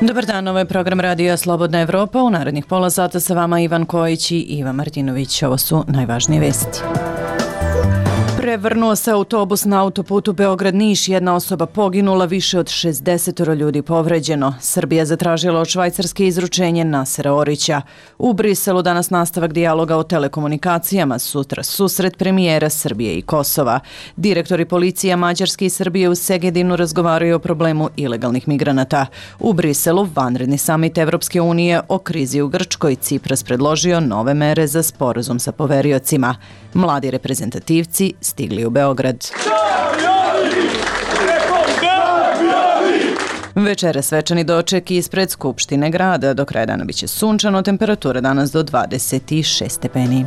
Dobar dan, ovo je program Radija Slobodna Evropa. U narednih pola sata sa vama Ivan Kojić i Iva Martinović. Ovo su najvažnije vesti. Prevrnuo se autobus na autoputu Beograd-Niš, jedna osoba poginula, više od 60 ljudi povređeno. Srbija zatražila od Švajcarske izručenje Nasera Orića. U Briselu danas nastavak dijaloga o telekomunikacijama, sutra susret premijera Srbije i Kosova. Direktori policija Mađarske i Srbije u Segedinu razgovaraju o problemu ilegalnih migranata. U Briselu vanredni samit Evropske unije o krizi u Grčkoj. Cipras predložio nove mere za sporazum sa poveriocima. Mladi reprezentativci stigli u Beograd. Večera svečani doček ispred Skupštine grada. Do kraja dana biće sunčano, temperatura danas do 26 stepeni.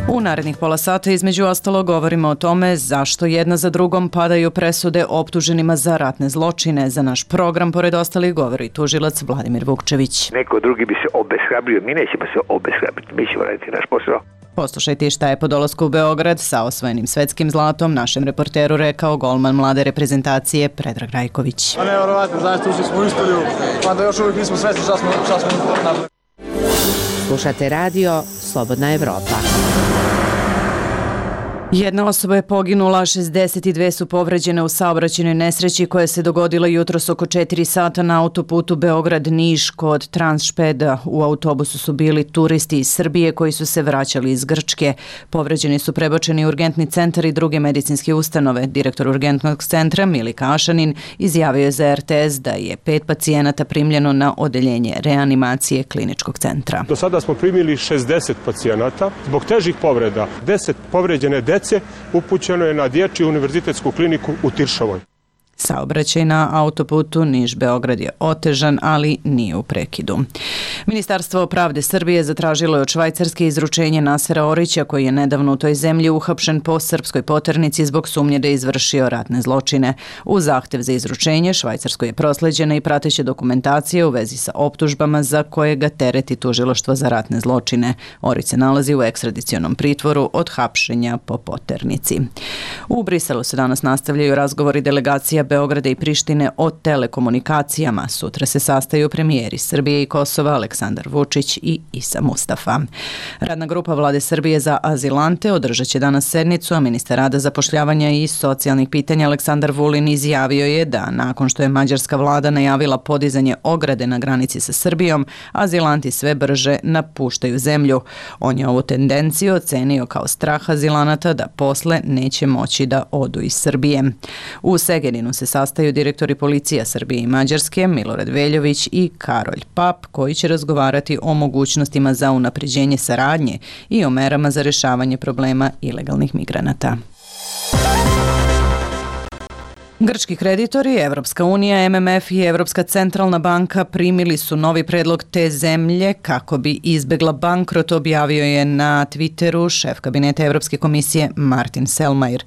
U narednih pola sata između ostalo govorimo o tome zašto jedna za drugom padaju presude optuženima za ratne zločine. Za naš program, pored ostalih, govori tužilac Vladimir Vukčević. Neko drugi bi se obeshrabrio, mi nećemo se obeshrabriti, mi ćemo raditi naš posao. Poslušajte šta je po dolasku u Beograd sa osvojenim svetskim zlatom našem reporteru rekao golman mlade reprezentacije Predrag Rajković. Nevjerovatno, zaista ušli smo u istoriju, pa da još uvijek nismo svesni šta smo napravili. Slušate radio Slobodna Evropa. Jedna osoba je poginula, 62 su povređene u saobraćajnoj nesreći koja se dogodila jutros oko 4 sata na autoputu Beograd-Niš kod Transšpeda. U autobusu su bili turisti iz Srbije koji su se vraćali iz Grčke. Povređeni su prebačeni u urgentni centar i druge medicinske ustanove. Direktor urgentnog centra Milika Ašanin izjavio je za RTS da je 5 pacijenata primljeno na odeljenje reanimacije kliničkog centra. Do sada smo primili 60 pacijenata. Zbog težih povreda 10 povređene dece upućeno je na Dječju univerzitetsku kliniku u Tiršovoj. Saobraćaj na autoputu Niš-Beograd je otežan, ali nije u prekidu. Ministarstvo pravde Srbije zatražilo je od Švajcarske izručenje Nasera Orića, koji je nedavno u toj zemlji uhapšen po srpskoj poternici zbog sumnje da je izvršio ratne zločine. U zahtev za izručenje Švajcarskoj je prosleđena i prateća dokumentacija u vezi sa optužbama za koje ga tereti tužilaštvo za ratne zločine. Orić se nalazi u ekstradicionom pritvoru od hapšenja po poternici. U Briselu se danas nastavljaju razgovori delegacija Beograda i Prištine o telekomunikacijama. Sutra se sastaju premijeri Srbije i Kosova Aleksandar Vučić i Isa Mustafa. Radna grupa Vlade Srbije za azilante održat će danas sednicu, a ministar rada, zapošljavanja i socijalnih pitanja Aleksandar Vulin izjavio je da nakon što je mađarska vlada najavila podizanje ograde na granici sa Srbijom, azilanti sve brže napuštaju zemlju. On je ovu tendenciju ocenio kao strah azilanata da posle neće moći da odu iz Srbije. U Segedinu se sastaju direktori policija Srbije i Mađarske, Milorad Veljović i Karolj Pap, koji će razgovarati o mogućnostima za unapređenje saradnje i o merama za rešavanje problema ilegalnih migranata. Grčki kreditori, Evropska unija, MMF i Evropska centralna banka primili su novi predlog te zemlje kako bi izbegla bankrot, objavio je na Twitteru šef kabineta Evropske komisije Martin Selmayr.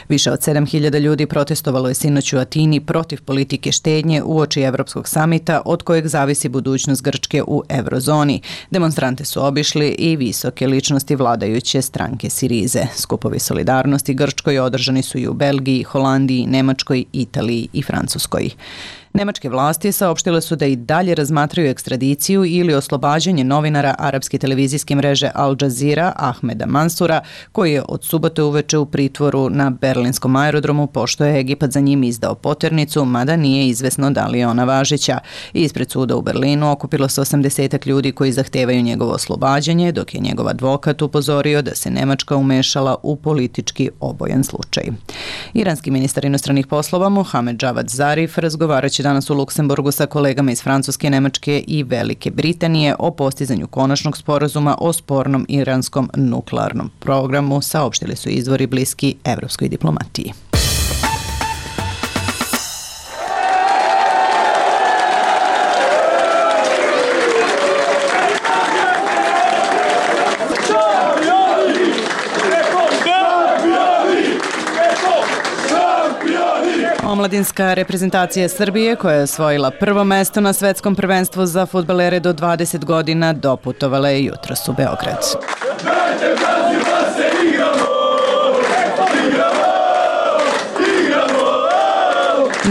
Više od 7.000 ljudi protestovalo je sinoć u Atini protiv politike štednje uoči Evropskog samita od kojeg zavisi budućnost Grčke u eurozoni. Demonstrante su obišli i visoke ličnosti vladajuće stranke Sirize. Skupovi solidarnosti Grčkoj održani su i u Belgiji, Holandiji, Nemačkoj, Italiji i Francuskoj. Nemačke vlasti saopštile su da i dalje razmatraju ekstradiciju ili oslobađanje novinara arapske televizijske mreže Al Jazeera Ahmeda Mansura, koji je od subote uveče u pritvoru na berlinskom aerodromu pošto je Egipat za njim izdao poternicu, mada nije izvesno da li je ona važeća. Ispred suda u Berlinu okupilo se 80 ljudi koji zahtevaju njegovo oslobađanje, dok je njegov advokat upozorio da se Nemačka umešala u politički obojan slučaj. Iranski ministar inostranih poslova Mohamed Javad Zarif razgovarat će danas u Luksemburgu sa kolegama iz Francuske, Nemačke i Velike Britanije o postizanju konačnog sporazuma o spornom iranskom nuklearnom programu, saopštili su izvori bliski evropskoj diplomatiji. Omladinska reprezentacija Srbije, koja je osvojila prvo mesto na svetskom prvenstvu za fudbalere do 20 godina, doputovala je jutros u Beograd.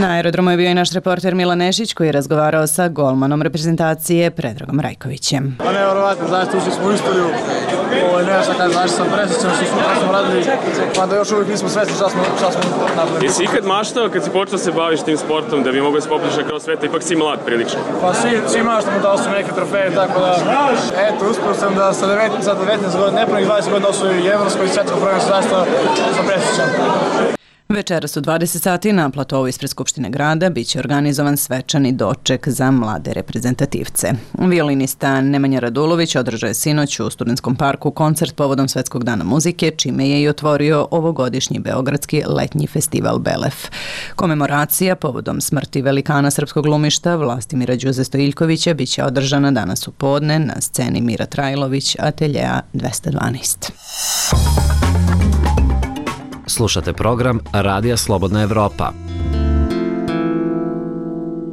Na aerodromu je bio i naš reporter Milan Nešić koji je razgovarao sa golmanom reprezentacije Predragom Rajkovićem. Pa nevjerovatno, zaista ušli smo u istoriju. Ovo je nešto kada znaš sam presjećan što smo radili, pa da još uvijek nismo svesni šta smo napravili. Jesi ikad maštao kad si počeo se baviš tim sportom da bi mogao se popliš kroz sveta, ipak si mlad prilično? Pa svi maštamo da osvoju neke trofeje, tako da eto, uspio sam da sa 19 godina, nepunih 20 godina osvoju i evropsko i svjetsko prvenstvo, zaista sam presjećan. Večeras u 20 sati na platovu ispred Skupštine grada biće organizovan svečani doček za mlade reprezentativce. Violinista Nemanja Radulović održao je sinoć u Studentskom parku koncert povodom Svetskog dana muzike, čime je i otvorio ovogodišnji beogradski letnji festival Belef. Komemoracija povodom smrti velikana srpskog glumišta Vlastimira Đuze Stojiljkovića biće održana danas u podne na sceni Mira Trajlović, ateljea 212. Slušate program Radija Slobodna Evropa.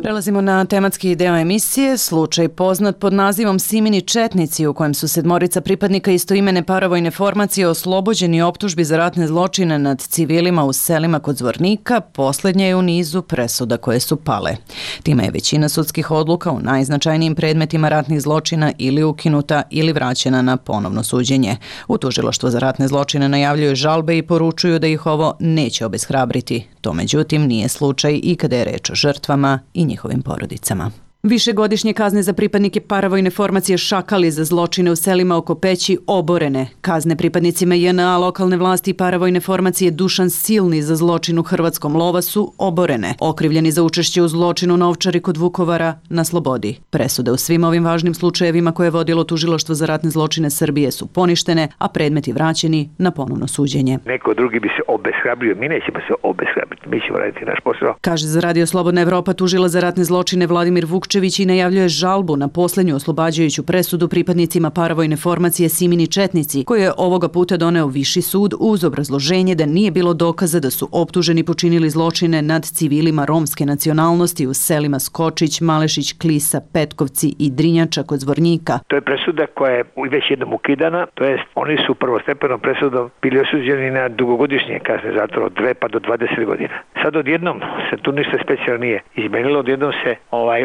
Prelazimo na tematski deo emisije, slučaj poznat pod nazivom Simini četnici, u kojem su 7 pripadnika istoimene paravojne formacije oslobođeni optužbi za ratne zločine nad civilima u selima kod Zvornika, posljednja je u nizu presuda koje su pale. Time je većina sudskih odluka u najznačajnijim predmetima ratnih zločina ili ukinuta ili vraćena na ponovno suđenje. U tužilaštvu za ratne zločine najavljuju žalbe i poručuju da ih ovo neće obeshrabriti. To međutim nije slučaj i kada je reč o žrtvama i njihovim porodicama. Višegodišnje kazne za pripadnike paravojne formacije Šakali za zločine u selima oko Peći oborene. Kazne pripadnicima JNA lokalne vlasti i paravojne formacije Dušan Silni za zločin u Hrvatskom Lovasu oborene. Okrivljeni za učešće u zločinu na Ovčari kod Vukovara na slobodi. Presude u svim ovim važnim slučajevima koje je vodilo tužilaštvo za ratne zločine Srbije su poništene, a predmeti vraćeni na ponovno suđenje. Neko drugi bi se obeshrabrio, mi nećemo se obeshrabriti, mi ćemo raditi naš posao. Kaže za Radio Slobodna Evropa tužilac za ratne zločine Vladimir Vukčević i najavljuje žalbu na posljednju oslobađajuću presudu pripadnicima paravojne formacije Simini četnici, koju je ovoga puta doneo Viši sud uz obrazloženje da nije bilo dokaza da su optuženi počinili zločine nad civilima romske nacionalnosti u selima Skočić, Malešić, Klisa, Petkovci i Drinjača kod Zvornika. To je presuda koja je već jednom ukidana, to jest oni su prvostepenom presudom bili osuđeni na dugogodišnje kazne zatvora od 2 pa do 20 godina. Sad odjednom se tu ništa specijalno nije izmenilo, odjednom se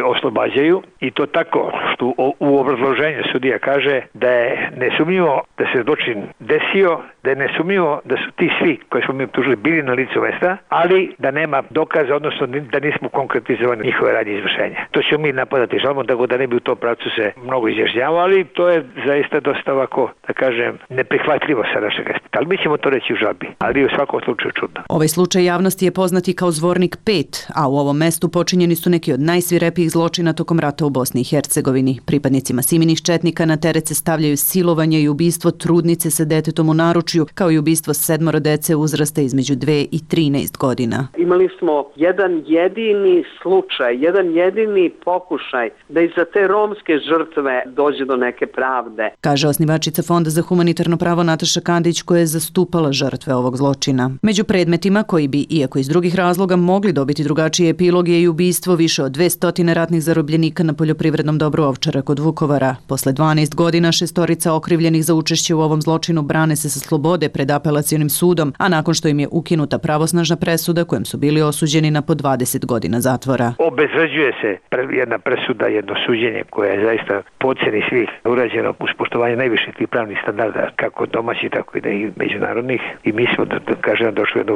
oslobađaju i to tako što u obrazloženju sudija kaže da je nesumnjivo da se zločin desio, da je nesumnjivo da su ti svi koji smo mi optužili bili na licu mesta, ali da nema dokaza, odnosno da nismo konkretizovani njihove radnje izvršenja. To ćemo mi napadati žalbom, tako da ne bi u tom pravcu se mnogo izjašnjavao, ali to je zaista dosta ovako, da kažem, neprihvatljivo sa našeg aspekta. Ali mi ćemo to reći u žalbi, ali u svakom slučaju čudno. Ovaj slučaj javnosti je poznati kao Zvornik 5, a u ovom mestu počinjeni su neki od najsvirepijih zločina tokom rata u Bosni i Hercegovini. Pripadnicima Siminih četnika na teret se stavljaju silovanje i ubistvo trudnice sa detetom u naručju, kao i ubistvo 7 dece uzrasta između 2 i 13 godina. Imali smo jedan jedini slučaj, jedan jedini pokušaj da i za te romske žrtve dođe do neke pravde. Kaže osnivačica Fonda za humanitarno pravo Nataša Kandić, koja je zastupala žrtve ovog zločina. Među predmetima koji bi, iako iz drugih razloga, mogli dobiti drugačiji epilog je i ubistvo više od 200 ratnih zarobljenika na poljoprivrednom dobru Ovčara kod Vukovara. Posle 12 godina 6 okrivljenih za učešće u ovom zločinu brane se sa slobode pred apelacionim sudom, a nakon što im je ukinuta pravosnažna presuda kojom su bili osuđeni na po 20 godina zatvora. Obezvređuje se jedna presuda, jedno suđenje koje je zaista po ocjeni svih urađeno uz poštovanje najviših tih pravnih standarda, kako domaćih, tako i međunarodnih, i mi smo, da kažem, došli u jednu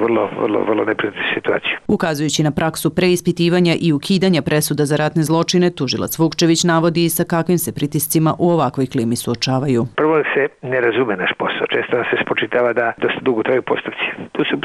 vrlo neprijatnu situaciju. Ukazujući na praksu preispitivanja i ukidanja presuda za ratne zločine, tužilac Vukčević navodi i sa kakvim se pritiscima u ovakvoj klimi suočavaju. Prvo se ne razume naš posao. Često nam se spočitava da dosta dugo traju postupci.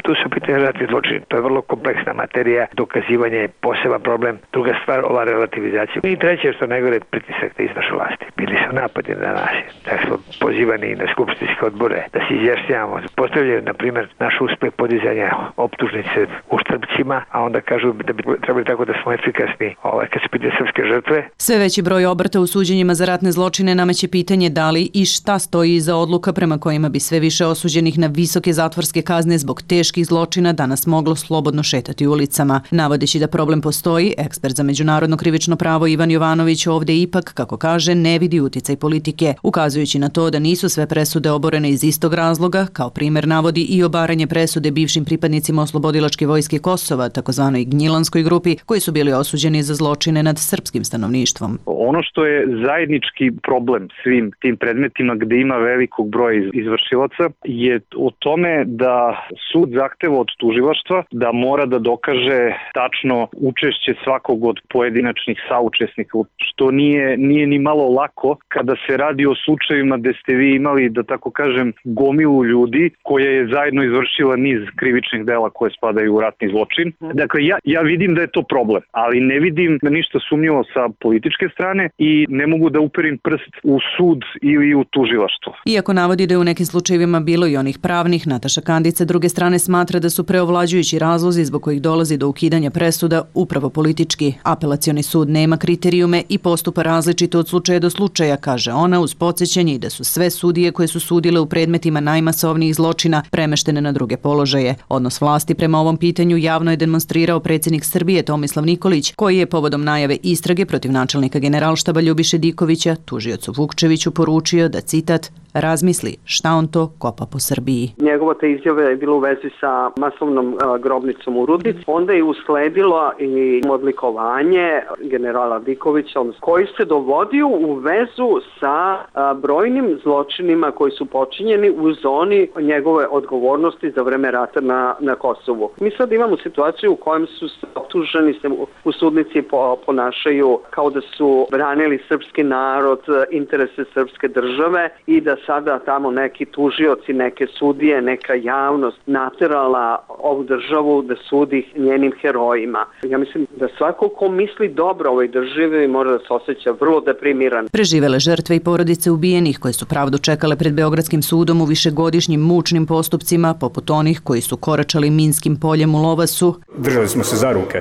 Tu su pitanje ratni zločini. To je vrlo kompleksna materija, dokazivanje je poseban problem. Druga stvar, ova relativizacija. I treće, što najgore, pritisak da izvrše vlasti. Bili su napadi na nas. Tako smo pozivani na skupštinske odbore da se izjašnjavamo. Postavljaju, na primjer, naš uspeh podizanja optužnice u Štrpcima, a onda kažu da bi trebali tako da smo efikasni kad se pitaju srpske žrtve. Sve veći broj obrta u suđenjima za ratne zločine nameće pitanje da li i šta stoji iza odluka prema kojima bi sve više osuđenih na visoke zatvorske kazne zbog teških zločina danas moglo slobodno šetati ulicama. Navodeći da problem postoji, ekspert za međunarodno krivično pravo Ivan Jovanović ovdje ipak, kako kaže, ne vidi uticaj politike, ukazujući na to da nisu sve presude oborene iz istog razloga. Kao primjer navodi i obaranje presude bivšim pripadnicima Oslobodilačke vojske Kosova, takozvanoj Gnjilanskoj grupi, koji su bili osuđeni za zločine nad srpskim stanovništvom. Ono što je zajednički problem svim tim predmetima gde ima velikog broja izvršilaca je o tome da sud zahteva od tužilaštva da mora da dokaže tačno učešće svakog od pojedinačnih saučesnika, što nije ni malo lako kada se radi o slučajevima gde ste vi imali, da tako kažem, gomilu ljudi koja je zajedno izvršila niz krivičnih dela koje spadaju u ratni zločin. Dakle, ja vidim da je to problem, ali ne vidim ništa sumnjivo sa političke strane i ne mogu da uperim prst u sud ili u tužilaštvo. Iako navodi da je u nekim slučajevima bilo i onih pravnih, Nataša Kandić sa druge strane smatra da su preovlađujući razlozi zbog kojih dolazi do ukidanja presuda upravo politički. Apelacioni sud nema kriterijume i postupa različito od slučaja do slučaja, kaže ona, uz podsjećanje i da su sve sudije koje su sudile u predmetima najmasovnijih zločina premeštene na druge položaje. Odnos vlasti prema ovom pitanju javno je demonstrirao predsjednik Srbije Tomislav Nikolić, koji je povodom najave istrage protiv načelnika Generalštaba Ljubiše Dikovića tužiocu Vukčeviću poručio da, citat, razmisli šta on to kopa po Srbiji. Njegova ta izjava je bila u vezi sa masovnom grobnicom u Rudnici. Onda je usledilo i odlikovanje generala Dikovića, koji se dovodio u vezu sa brojnim zločinima koji su počinjeni u zoni njegove odgovornosti za vreme rata na Kosovu. Mi sad imamo situaciju u kojem su optuženi se u sudnici ponašaju kao da su branili srpski narod, interese srpske države i da sada tamo neki tužioci, neke sudije, neka javnost naterala ovu državu da sudi njenim herojima. Ja mislim da svako ko misli dobro ovoj državi mora da se osjeća vrlo deprimiran. Preživele žrtve i porodice ubijenih koje su pravdu čekale pred Beogradskim sudom u višegodišnjim mučnim postupcima, poput onih koji su koračali Minskim poljem u Lovasu. Držali smo se za ruke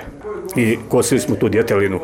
i kosili smo tu djetelinu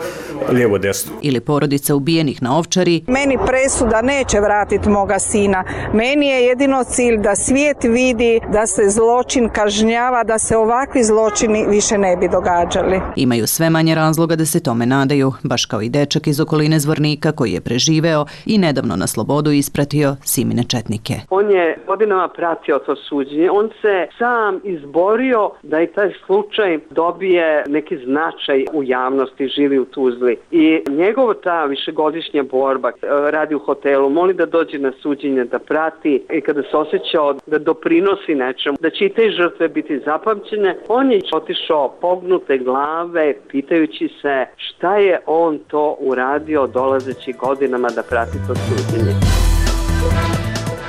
lijevo desno. Ili porodica ubijenih na Ovčari. Meni presuda neće vratiti moga sina. Meni je jedino cilj da svijet vidi da se zločin kažnjava, da se ovakvi zločini više ne bi događali. Imaju sve manje razloga da se tome nadaju, baš kao i dečak iz okoline Zvornika koji je preživeo i nedavno na slobodu ispratio Simine četnike. On je godinama pratio to suđenje. On se sam izborio da i taj slučaj dobije neki značaj u javnosti, živi u Tuzli. I njegova ta višegodišnja borba, radi u hotelu, moli da dođe na suđenje, da prati i kada se osjećao da doprinosi nečemu, da će i te žrtve biti zapamćene, on je otišao pognute glave, pitajući se šta je on to uradio dolazeći godinama da prati to suđenje.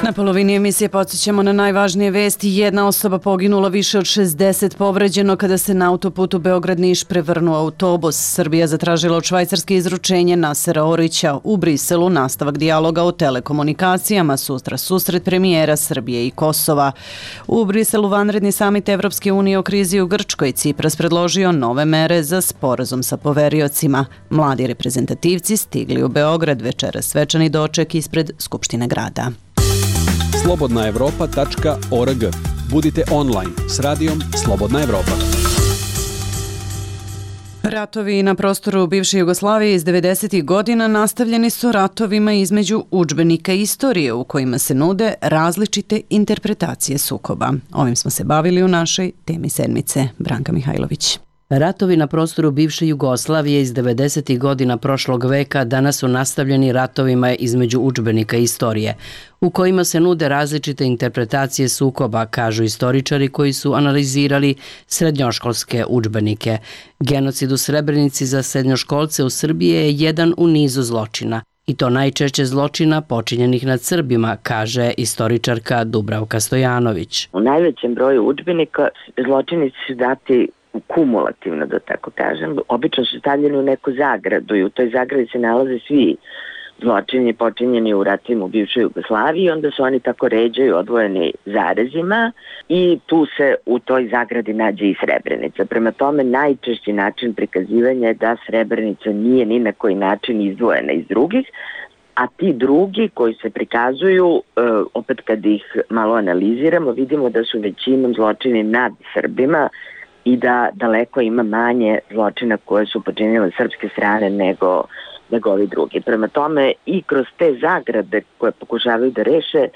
Na polovini emisije podsjećamo na najvažnije vesti. Jedna osoba poginula, više od 60 povređeno kada se na autoputu Beograd-Niš prevrnuo autobus. Srbija zatražila od Švajcarske izručenje Nasera Orića. U Briselu nastavak dijaloga o telekomunikacijama, sutra susret premijera Srbije i Kosova. U Briselu vanredni samit Evropske unije o krizi u Grčkoj. Cipras predložio nove mere za sporazum sa poveriocima. Mladi reprezentativci stigli u Beograd, večeras svečani doček ispred Skupštine grada. slobodnaevropa.org. Budite online s radijom Slobodna Evropa. Ratovi na prostoru bivše Jugoslavije iz 90. godina nastavljeni su ratovima između udžbenika istorije u kojima se nude različite interpretacije sukoba. Ovim smo se bavili u našoj temi sedmice. Branka Mihajlović. Ratovi na prostoru bivše Jugoslavije iz 90. godina prošlog veka danas su nastavljeni ratovima između udžbenika istorije, u kojima se nude različite interpretacije sukoba, kažu istoričari koji su analizirali srednjoškolske udžbenike. Genocid u Srebrenici za srednjoškolce u Srbiji je jedan u nizu zločina, i to najčešće zločina počinjenih nad Srbima, kaže istoričarka Dubravka Stojanović. U najvećem broju udžbenika zločini su dati kumulativno, da tako kažem. Obično su stavljeni u neku zagradu i u toj zagradi se nalaze svi zločini počinjeni u ratovima u bivšoj Jugoslaviji, onda se oni tako ređaju odvojeni zarezima i tu se u toj zagradi nađe i Srebrenica. Prema tome, najčešći način prikazivanja je da Srebrenica nije ni na koji način izdvojena iz drugih, a ti drugi koji se prikazuju, opet kad ih malo analiziramo, vidimo da su većinom zločini nad Srbima i da daleko ima manje zločina koje su počinile srpske strane nego ovi drugi. Prema tome i kroz te zagrade koje pokušavaju da reše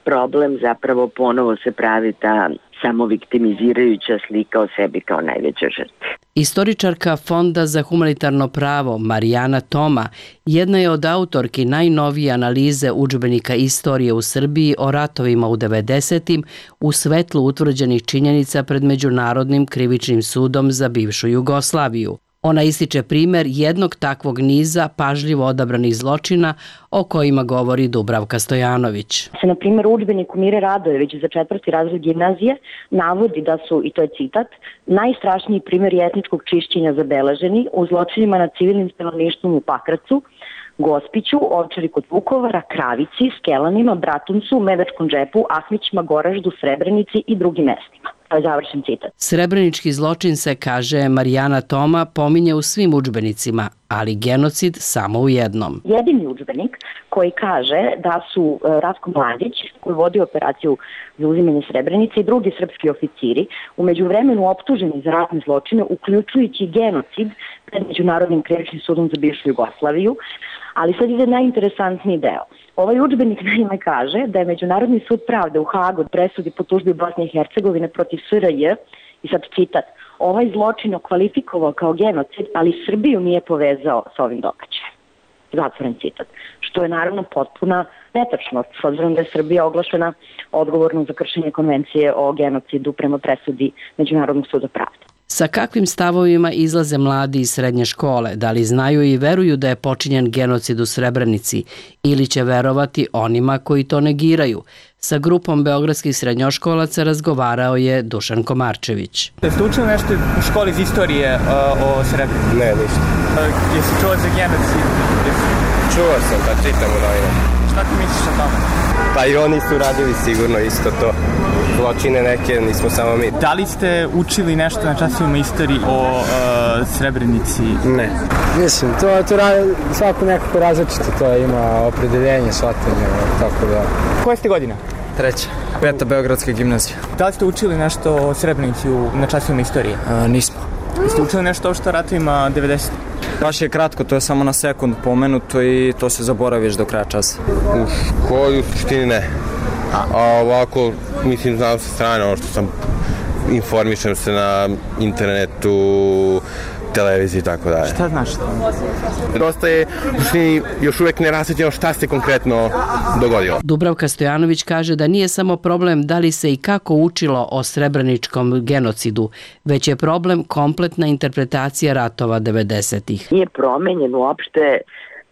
problem, zapravo ponovo se pravi ta samoviktimizirajuća slika o sebi kao najveća žrtva. Istoričarka Fonda za humanitarno pravo Marijana Toma jedna je od autorki najnovije analize udžbenika istorije u Srbiji o ratovima u 90. u svetlu utvrđenih činjenica pred Međunarodnim krivičnim sudom za bivšu Jugoslaviju. Ona ističe primer jednog takvog niza pažljivo odabranih zločina o kojima govori Dubravka Stojanović. Na primjer, u udžbeniku Mire Radojević za 4. razred gimnazije navodi da su, i to je citat, najstrašniji primjeri etničkog čišćenja zabeleženi u zločinima nad civilnim stanovništvom u Pakracu, Gospiću, Ovčari kod Vukovara, Kravici, Skelanima, Bratuncu, Medačkom džepu, Ahmićima, Goraždu, Srebrenici i drugim mestima. Završen citat. Srebrenički zločin se, kaže Marijana Toma, pominje u svim udžbenicima, ali genocid samo u jednom. Jedini udžbenik koji kaže da su Ratko Mladić, koji vodi operaciju za uzimanje Srebrenice, i drugi srpski oficiri u međuvremenu optuženi za ratne zločine, uključujući genocid pred Međunarodnim krivičnim sudom za bivšu Jugoslaviju. Ali sad ide najinteresantniji deo. Ovaj udžbenik naime kaže da je Međunarodni sud pravde u Hagu presudi po tužbi Bosne i Hercegovine protiv SRJ, i sad citat, ovaj zločin okvalifikovao kao genocid, ali Srbiju nije povezao s ovim događajem. Zatvoren citat. Što je naravno potpuna netačnost, s obzirom da je Srbija oglašena odgovornom za kršenje konvencije o genocidu prema presudi Međunarodnog suda pravde. Sa kakvim stavovima izlaze mladi iz srednje škole? Da li znaju i veruju da je počinjen genocid u Srebrenici ili će verovati onima koji to negiraju? Sa grupom beogradskih srednjoškolaca razgovarao je Dušan Komarčević. Jeste učili nešto u školi iz istorije o Srebrenici? Ne, ništa. Jesi čuo za genocid? Čuo sam, pa čitam u novinama. Šta ti misliš o tome? Pa i oni su radili sigurno isto to. Zločine neke, nismo samo mi. Da li ste učili nešto na časovima istoriji o Srebrenici? Ne. Mislim, to svako nekako različito, to ima opredeljenje, shvatanje, tako da... Koja ste godina? 3. 5. Beogradska gimnazija. Da li ste učili nešto o Srebrenici na časovima istorije? Nismo. Ste učili nešto o što ratovima 90? Baš je kratko, to je samo na sekund pomenuto i to se zaboraviš do kraja časa. U školi u suštini ne. A ovako, mislim, znam sa strane, ono što sam informišem se na internetu, televiziji i tako dalje. Šta znaš to? Dosta je još uvek nerasvetljenje šta se konkretno dogodilo. Dubravka Stojanović kaže da nije samo problem da li se i kako učilo o srebreničkom genocidu, već je problem kompletna interpretacija ratova 90-ih. Nije promenjen uopšte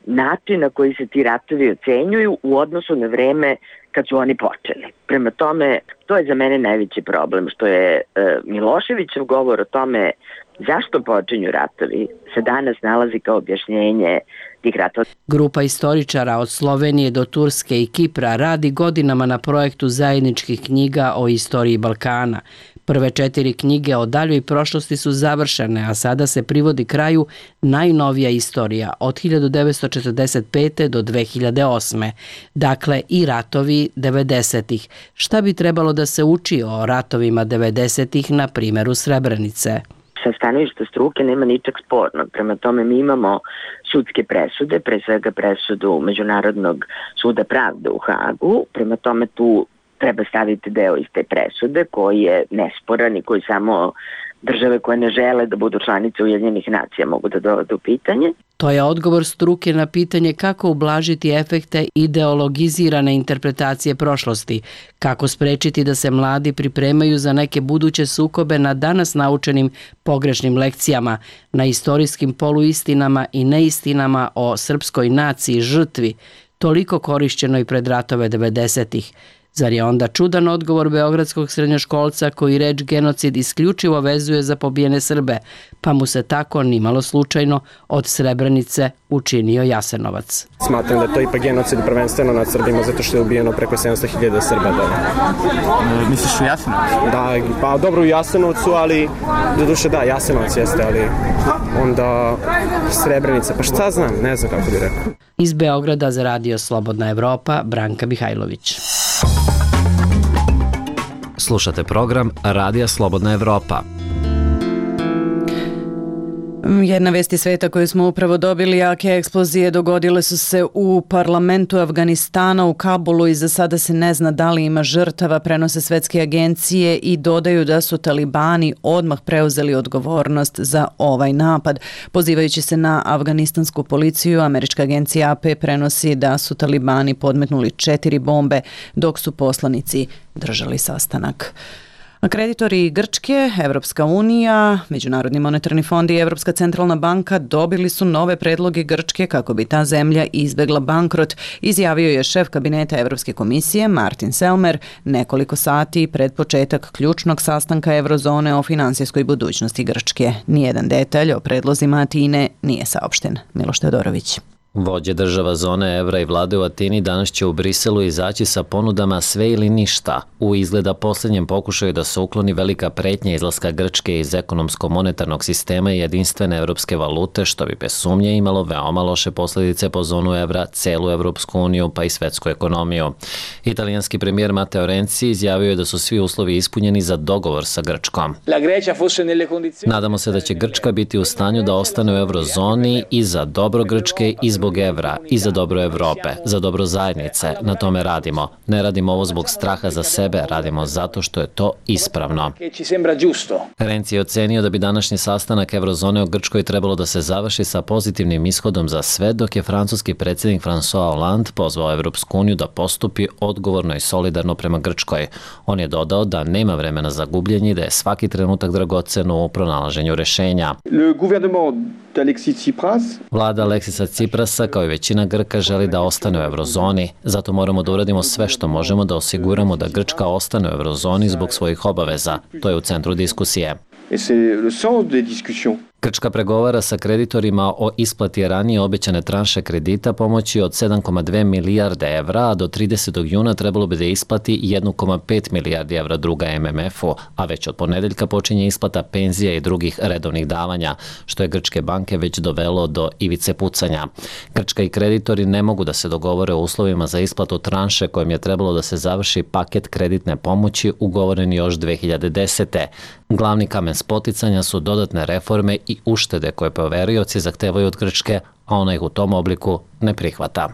način na koji se ti ratovi ocenjuju u odnosu na vreme kad su oni počeli. Prema tome, to je za mene najveći problem, što je Miloševićev govor o tome zašto počinju ratovi se danas nalazi kao objašnjenje tih ratova. Grupa istoričara od Slovenije do Turske i Kipra radi godinama na projektu zajedničkih knjiga o istoriji Balkana. Prve 4 knjige o daljoj prošlosti su završene, a sada se privodi kraju najnovija istorija od 1945. do 2008. Dakle, i ratovi 90-ih. Šta bi trebalo da se uči o ratovima 90-ih na primjeru Srebrenice? Sa stanovišta struke nema ničeg spornog. Prema tome mi imamo sudske presude, pre svega presudu Međunarodnog suda pravde u Hagu. Prema tome tu treba staviti deo iz te presude koji je nesporan i koji samo države koje ne žele da budu članice Ujedinjenih nacija mogu da dovedu u pitanje. To je odgovor struke na pitanje kako ublažiti efekte ideologizirane interpretacije prošlosti, kako sprečiti da se mladi pripremaju za neke buduće sukobe na danas naučenim pogrešnim lekcijama, na istorijskim poluistinama i neistinama o srpskoj naciji žrtvi, toliko korišćenoj pred ratove 90-ih. Zar je onda čudan odgovor beogradskog srednjoškolca koji reč genocid isključivo vezuje za pobijene Srbe, pa mu se tako nimalo slučajno od Srebrenice učinio Jasenovac. Smatram da je to ipak genocid prvenstveno nad Srbima zato što je ubijeno preko 700.000 Srba. Misliš u Jasenovcu? Da, pa dobro u Jasenovcu, ali doduše da, Jasenovac jeste, ali onda Srebrenica, pa šta znam, ne znam kako bi rekao. Iz Beograda za Radio Slobodna Evropa, Branka Mihajlović. Slušate program Radija Slobodna Evropa. Jedna vest iz sveta koju smo upravo dobili, jake eksplozije dogodile su se u parlamentu Afganistana u Kabulu i za sada se ne zna da li ima žrtava, prenose svetske agencije i dodaju da su talibani odmah preuzeli odgovornost za ovaj napad. Pozivajući se na afganistansku policiju, američka agencija AP prenosi da su talibani podmetnuli 4 bombe dok su poslanici držali sastanak. Kreditori Grčke, Evropska unija, Međunarodni monetarni fond i Evropska centralna banka dobili su nove predloge Grčke kako bi ta zemlja izbegla bankrot, izjavio je šef kabineta Evropske komisije Martin Selmayr nekoliko sati pred početak ključnog sastanka Eurozone o finansijskoj budućnosti Grčke. Nijedan detalj o predlozima Atine nije saopšten. Miloš Teodorović. Vođe država zone evra i vlade u Atini danas će u Briselu izaći sa ponudama sve ili ništa u izgleda posljednjem pokušaju da se ukloni velika pretnja izlaska Grčke iz ekonomsko-monetarnog sistema i jedinstvene evropske valute, što bi bez sumnje imalo veoma loše posljedice po zonu evra, celu Evropsku uniju pa i svetsku ekonomiju. Italijanski premijer Matteo Renzi izjavio je da su svi uslovi ispunjeni za dogovor sa Grčkom. Nadamo se da će Grčka biti u stanju da ostane u eurozoni i za dobro Grčke i zbog evra i za dobro Evrope, za dobro zajednice. Na tome radimo. Ne radimo ovo zbog straha za sebe, radimo zato što je to ispravno. Renzi je ocenio da bi današnji sastanak Eurozone o Grčkoj trebalo da se završi sa pozitivnim ishodom za sve, dok je francuski predsjednik François Hollande pozvao Evropsku uniju da postupi odgovorno i solidarno prema Grčkoj. On je dodao da nema vremena za gubljenje i da je svaki trenutak dragocen u pronalaženju rešenja. Vlada Aleksisa Ciprasa, kao i većina Grka, želi da ostane u eurozoni. Zato moramo da uradimo sve što možemo da osiguramo da Grčka ostane u eurozoni zbog svojih obaveza. To je u centru diskusije. Grčka pregovara sa kreditorima o isplati ranije obećane tranše kredita pomoći od 7,2 milijarde evra, a do 30. juna trebalo bi da isplati 1,5 milijardi evra druga MMF-u, a već od ponedeljka počinje isplata penzija i drugih redovnih davanja, što je grčke banke već dovelo do ivice pucanja. Grčka i kreditori ne mogu da se dogovore o uslovima za isplatu tranše kojim je trebalo da se završi paket kreditne pomoći ugovoren još 2010. Glavni kamen spoticanja su dodatne reforme i uštede koje poverioci zahtevaju od Grčke, a ona ih u tom obliku ne prihvata.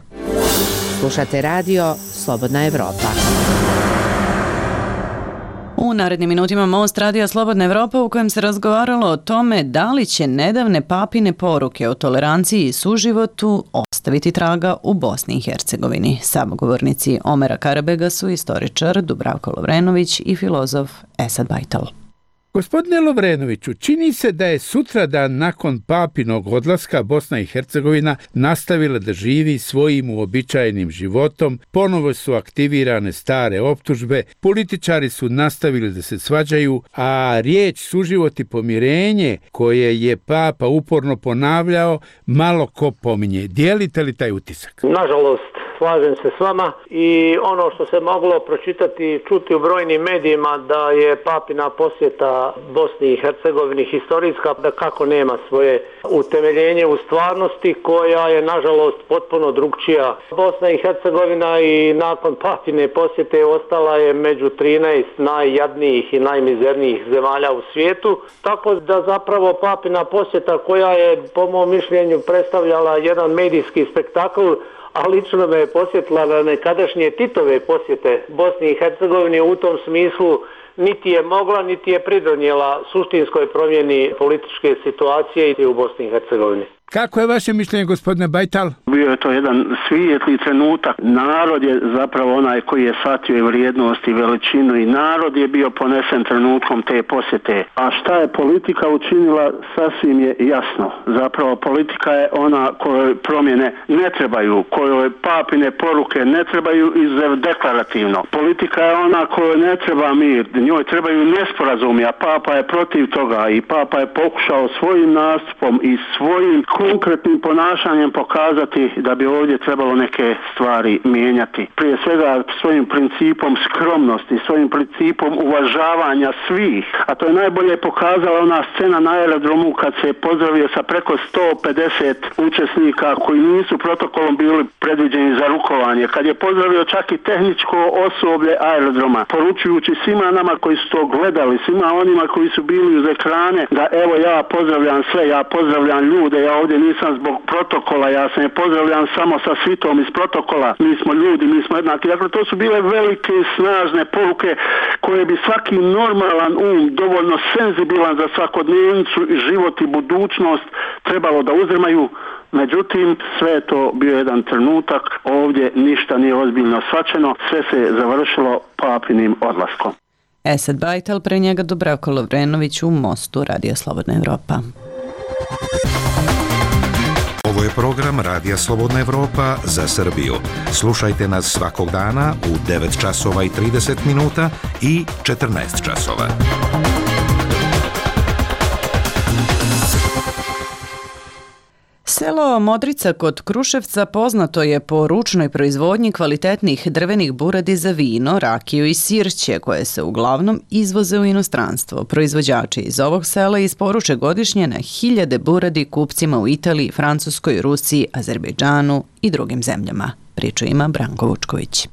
Slušate radio Slobodna Evropa. U narednim minutima Most Radija Slobodna Evropa u kojem se razgovaralo o tome da li će nedavne papine poruke o toleranciji i suživotu ostaviti traga u Bosni i Hercegovini. Samogovornici Omera Karabega su istoričar Dubravko Lovrenović i filozof Esad Bajtal. Gospodine Lovrenoviću, čini se da je sutradan nakon papinog odlaska Bosna i Hercegovina nastavila da živi svojim uobičajenim životom, ponovo su aktivirane stare optužbe, političari su nastavili da se svađaju, a riječ suživot i pomirenje koje je Papa uporno ponavljao, malo ko pominje. Dijelite li taj utisak? Nažalost, slažem se s vama i ono što se moglo pročitati i čuti u brojnim medijima da je papina posjeta Bosni i Hercegovini historijska, da kako nema svoje utemeljenje u stvarnosti koja je nažalost potpuno drugčija. Bosna i Hercegovina i nakon papine posjete ostala je među 13 najjadnijih i najmizernijih zemalja u svijetu, tako da zapravo papina posjeta koja je po mom mišljenju predstavljala jedan medijski spektakl, a lično me je posjetila na nekadašnje Titove posjete Bosni i Hercegovini, u tom smislu niti je mogla, niti je pridonijela suštinskoj promjeni političke situacije i u Bosni i Hercegovini. Kako je vaše mišljenje, gospodine Bajtal? Bio je to jedan svijetli trenutak. Narod je zapravo onaj koji je shvatio i vrijednost i veličinu i narod je bio ponesen trenutkom te posjete. A šta je politika učinila, sasvim je jasno. Zapravo politika je ona kojoj promjene ne trebaju, kojoj papine poruke ne trebaju deklarativno. Politika je ona kojoj ne treba mir, njoj trebaju nesporazumi, a Papa je protiv toga i Papa je pokušao svojim nastupom i svojim konkretnim ponašanjem pokazati da bi ovdje trebalo neke stvari mijenjati. Prije svega svojim principom skromnosti, svojim principom uvažavanja svih, a to je najbolje pokazala ona scena na aerodromu kad se pozdravio sa preko 150 učesnika koji nisu protokolom bili predviđeni za rukovanje, kad je pozdravio čak i tehničko osoblje aerodroma, poručujući svima nama koji su to gledali, svima onima koji su bili uz ekrane, da evo ja pozdravljam sve, ja pozdravljam ljude, ja ovdje nisam zbog protokola, ja se ne pozdravljam samo sa svitom iz protokola, mi smo ljudi, mi smo jednaki. Dakle, to su bile velike i snažne poruke koje bi svaki normalan dovoljno senzibilan za svakodnevnicu i život i budućnost trebalo da uzrmaju. Međutim, sve je to bio jedan trenutak, ovdje ništa nije ozbiljno shvaćeno, sve se završilo papinim odlaskom. Esad Bajtal, pre njega Dubravko Lovrenović u Mostu, Radio Slobodna Evropa. Ovo je program Radija Slobodna Evropa za Srbiju. Slušajte nas svakog dana u 9 časova i 30 minuta i 14 časova. Selo Modrica kod Kruševca poznato je po ručnoj proizvodnji kvalitetnih drvenih buradi za vino, rakiju i sirće, koje se uglavnom izvoze u inostranstvo. Proizvođači iz ovog sela isporuče godišnje na 1000 buradi kupcima u Italiji, Francuskoj, Rusiji, Azerbejdžanu i drugim zemljama. Priču ima Branko Vučković.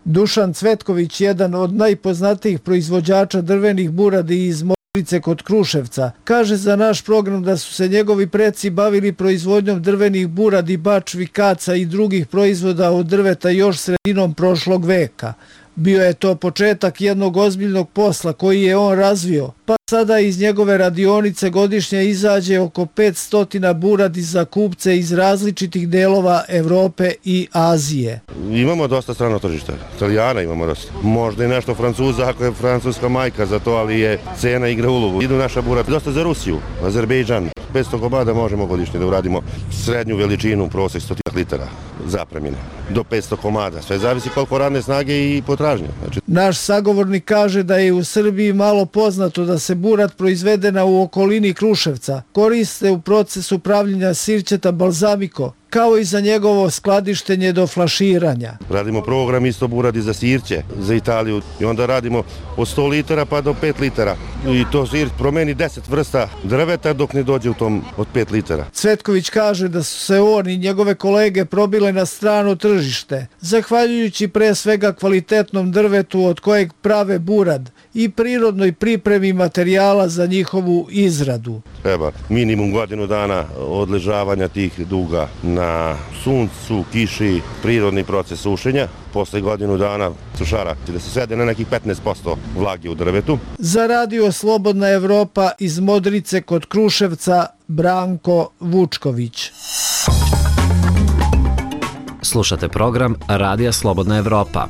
Dušan Cvetković, jedan od najpoznatijih proizvođača drvenih buradi iz Modrice kod Kruševca, kaže za naš program da su se njegovi preci bavili proizvodnjom drvenih buradi, bačvi, kaca i drugih proizvoda od drveta još sredinom prošlog veka. Bio je to početak jednog ozbiljnog posla koji je on razvio, pa sada iz njegove radionice godišnje izađe oko 500 buradi za kupce iz različitih delova Evrope i Azije. Imamo dosta strano tržište, Italijana imamo dosta. Možda i nešto Francuza ako je francuska majka za to, ali je cena igra ulogu. Idu naša burada dosta za Rusiju, Azerbejdžan. 500 komada možemo godišnje da uradimo srednju veličinu, prosek 100 litara zapremine, do 500 komada. Sve zavisi koliko radne snage i potražnje. Naš sagovornik kaže da je u Srbiji malo poznato da se burad proizvedena u okolini Kruševca koriste u procesu pravljenja sirćeta balzamiko, kao i za njegovo skladištenje do flaširanja. Radimo program isto buradi za sirće, za Italiju i onda radimo od 100 litara pa do 5 litara. I to sir promeni 10 vrsta drveta dok ne dođe u tom od 5 litara. Cvetković kaže da su se on i njegove kolege probile na strano tržište, zahvaljujući pre svega kvalitetnom drvetu od kojeg prave burad i prirodnoj pripremi materijala za njihovu izradu. Treba minimum godinu dana odležavanja tih duga na suncu, kiši, prirodni proces sušenja. Posle godinu dana sušara da se svede na nekih 15% vlage u drvetu. Za Radio Slobodna Evropa iz Modrice kod Kruševca, Branko Vučković. Slušate program Radija Slobodna Evropa.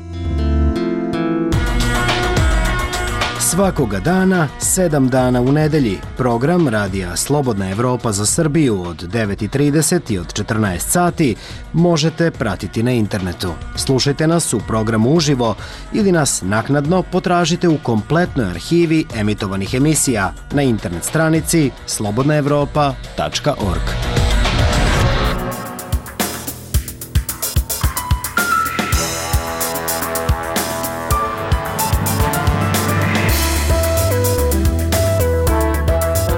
Svakoga dana, 7 dana u nedelji, program Radija Slobodna Evropa za Srbiju od 9:30 i od 14 sati možete pratiti na internetu. Slušajte nas u programu uživo ili nas naknadno potražite u kompletnoj arhivi emitovanih emisija na internet stranici slobodnaevropa.org.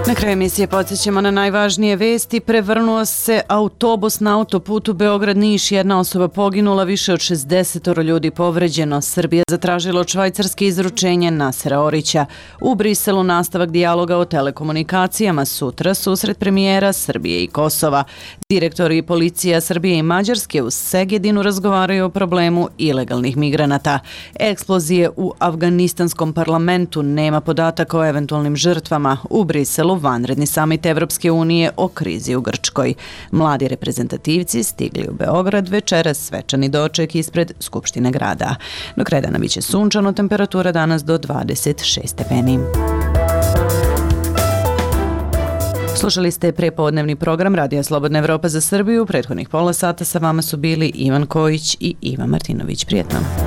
Na kraju emisije podsjećamo na najvažnije vesti. Prevrnuo se autobus na autoputu Beograd-Niš. Jedna osoba poginula, više od 60 ljudi povređeno. Srbija zatražila od Švajcarske izručenje Nasera Orića. U Briselu nastavak dijaloga o telekomunikacijama. Sutra susret premijera Srbije i Kosova. Direktori policija Srbije i Mađarske u Segedinu razgovaraju o problemu ilegalnih migranata. Eksplozije u afganistanskom parlamentu, nema podataka o eventualnim žrtvama. U Briselu vanredno vanredni samit Evropske unije o krizi u Grčkoj. Mladi reprezentativci stigli u Beograd večeras svečani doček ispred Skupštine grada. Do kraja dana biće sunčano, temperatura danas do 26 stepeni. Slušali ste prepodnevni program Radija Slobodna Evropa za Srbiju. Prethodnih pola sata sa vama su bili Ivan Kojić i Ivan Martinović. Prijetno.